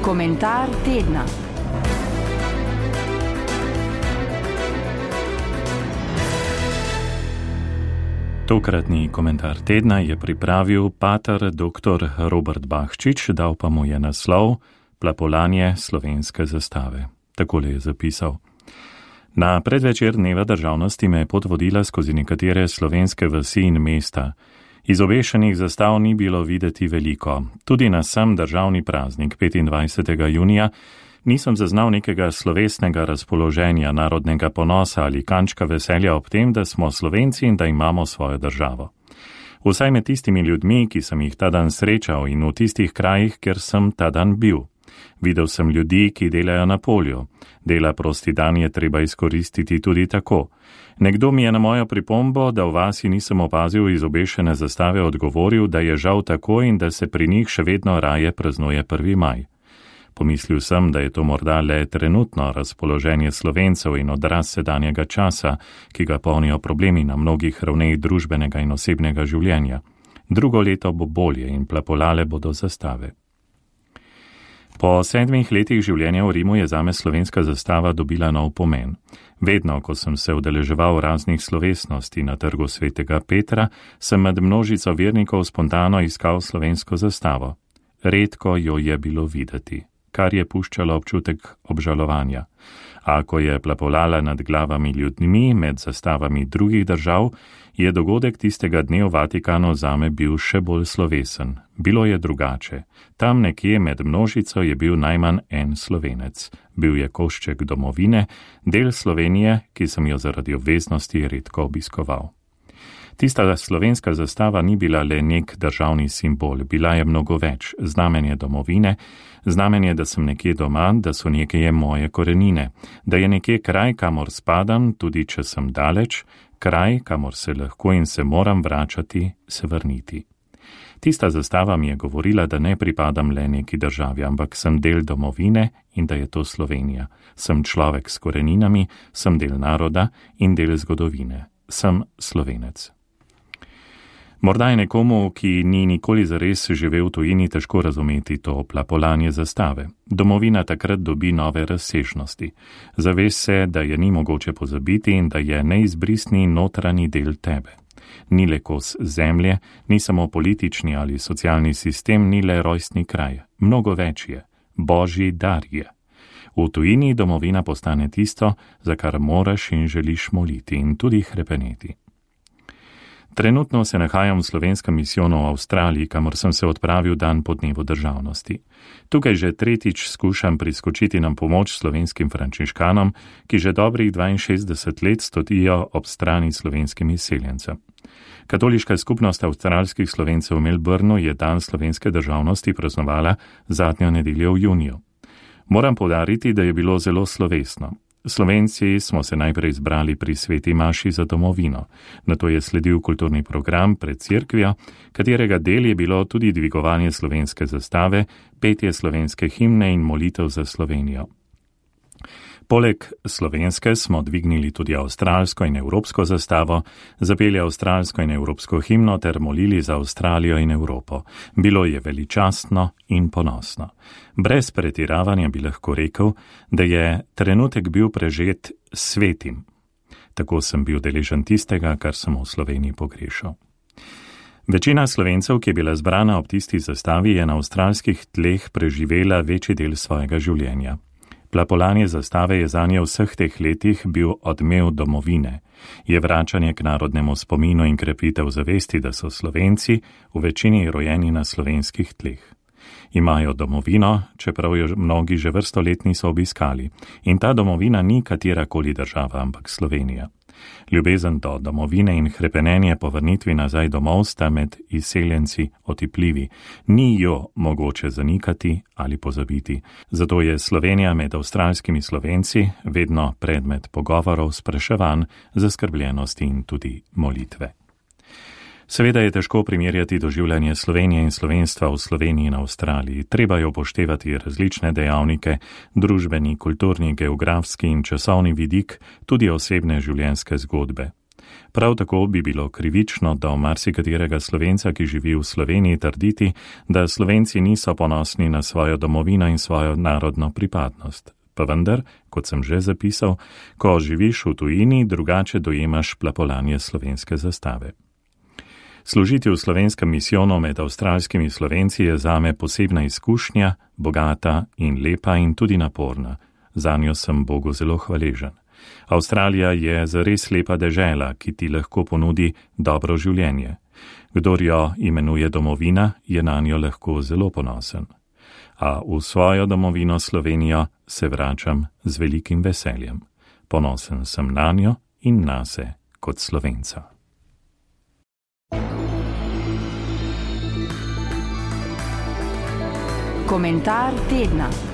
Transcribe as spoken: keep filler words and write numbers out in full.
Komentar tedna. Tokratni komentar tedna je pripravil pater doktor Robert Bahčič, dal pa mu je naslov Plapolanje slovenske zastave. Takole je zapisal. Na predvečer dneva državnosti me je pot vodila skozi nekatere slovenske vasi in mesta. Iz obešenih zastav ni bilo videti veliko. Tudi na sam državni praznik petindvajsetega junija nisem zaznal nekega slovesnega razpoloženja, narodnega ponosa ali kančka veselja ob tem, da smo Slovenci in da imamo svojo državo. Vsaj med tistimi ljudmi, ki sem jih ta dan srečal in v tistih krajih, kjer sem ta dan bil. Videl sem ljudi, ki delajo na polju. Dela prosti dan je treba izkoristiti tudi tako. Nekdo mi je na mojo pripombo, da v vasi nisem opazil izobešene zastave, odgovoril, da je žal tako in da se pri njih še vedno raje praznuje prvi maj. Pomislil sem, da je to morda le trenutno razpoloženje Slovencev in odraz sedanjega časa, ki ga polnijo problemi na mnogih ravneh družbenega in osebnega življenja. Drugo leto bo bolje in plapolale bodo zastave. Po sedmih letih življenja v Rimu je zame slovenska zastava dobila nov pomen. Vedno, ko sem se udeleževal raznih slovesnosti na trgu svetega Petra, sem med množico vernikov spontano iskal slovensko zastavo. Redko jo je bilo videti, kar je puščalo občutek obžalovanja. A ko je plapolala nad glavami ljudmi med zastavami drugih držav, je dogodek tistega dne v Vatikanu zame bil še bolj slovesen. Bilo je drugače. Tam nekje med množico je bil najmanj en Slovenec. Bil je košček domovine, del Slovenije, ki sem jo zaradi obveznosti redko obiskoval. Tista slovenska zastava ni bila le nek državni simbol, bila je mnogo več, znamenje domovine, znamenje, da sem nekje doma, da so nekje moje korenine, da je nekje kraj, kamor spadam, tudi če sem daleč, kraj, kamor se lahko in se moram vračati, se vrniti. Tista zastava mi je govorila, da ne pripadam le neki državi, ampak sem del domovine in da je to Slovenija. Sem človek s koreninami, sem del naroda in del zgodovine. Sem Slovenec. Morda je nekomu, ki ni nikoli zares živel v tujini, težko razumeti to plapolanje zastave. Domovina takrat dobi nove razsežnosti. Zaveš se, da je ni mogoče pozabiti in da je neizbrisni notranji del tebe. Ni le kos zemlje, ni samo politični ali socialni sistem, ni le rojstni kraj. Mnogo več je. Božji dar je. V tujini domovina postane tisto, za kar moraš in želiš moliti in tudi hrepeneti. Trenutno se nahajam v slovenskem misijonu v Avstraliji, kamor sem se odpravil dan po dnevu državnosti. Tukaj že tretjič skušam priskočiti na pomoč slovenskim frančiškanom, ki že dobrih dvainšestdeset let stojijo ob strani slovenskim izseljencem. Katoliška skupnost avstralskih Slovencev v Melbourneu je dan slovenske državnosti praznovala zadnjo nedeljo v juniju. Moram poudariti, da je bilo zelo slovesno. Slovenci smo se najprej zbrali pri sveti maši za domovino. Nato je sledil kulturni program pred cerkvijo, katerega del je bilo tudi dvigovanje slovenske zastave, petje slovenske himne in molitev za Slovenijo. Poleg slovenske smo dvignili tudi avstralsko in evropsko zastavo, zapeli avstralsko in evropsko himno ter molili za Avstralijo in Evropo. Bilo je veličastno in ponosno. Brez pretiravanja bi lahko rekel, da je trenutek bil prežet svetim. Tako sem bil deležen tistega, kar sem v Sloveniji pogrešal. Večina Slovencev, ki je bila zbrana ob tisti zastavi, je na avstralskih tleh preživela večji del svojega življenja. Plapolanje zastave je zanje v vseh teh letih bil odmev domovine. Je vračanje k narodnemu spominu in krepitev zavesti, da so Slovenci v večini rojeni na slovenskih tleh. Imajo domovino, čeprav jo mnogi že vrsto let niso obiskali. In ta domovina ni katerakoli država, ampak Slovenija. Ljubezen do domovine in hrepenenje po vrnitvi nazaj domov sta med izseljenci otipljivi. Ni jo mogoče zanikati ali pozabiti. Zato je Slovenija med avstralskimi Slovenci vedno predmet pogovorov, spraševanj, zaskrbljenosti in tudi molitve. Seveda je težko primerjati doživljanje Slovenije in slovenstva v Sloveniji in Avstraliji. Treba je upoštevati različne dejavnike, družbeni, kulturni, geografski in časovni vidik, tudi osebne življenjske zgodbe. Prav tako bi bilo krivično do marsikaterega Slovenca, ki živi v Sloveniji, trditi, da Slovenci niso ponosni na svojo domovino in svojo narodno pripadnost. Pa vendar, kot sem že zapisal, ko živiš v tujini, drugače dojemaš plapolanje slovenske zastave. Služiti v slovenskem misijonu med avstralskimi Slovenci je zame posebna izkušnja, bogata in lepa in tudi naporna. Zanjo sem Bogu zelo hvaležen. Avstralija je zares lepa dežela, ki ti lahko ponudi dobro življenje. Kdor jo imenuje domovina, je nanjo lahko zelo ponosen. A v svojo domovino Slovenijo se vračam z velikim veseljem. Ponosen sem nanjo in nase kot Slovenca. Komentar tedna.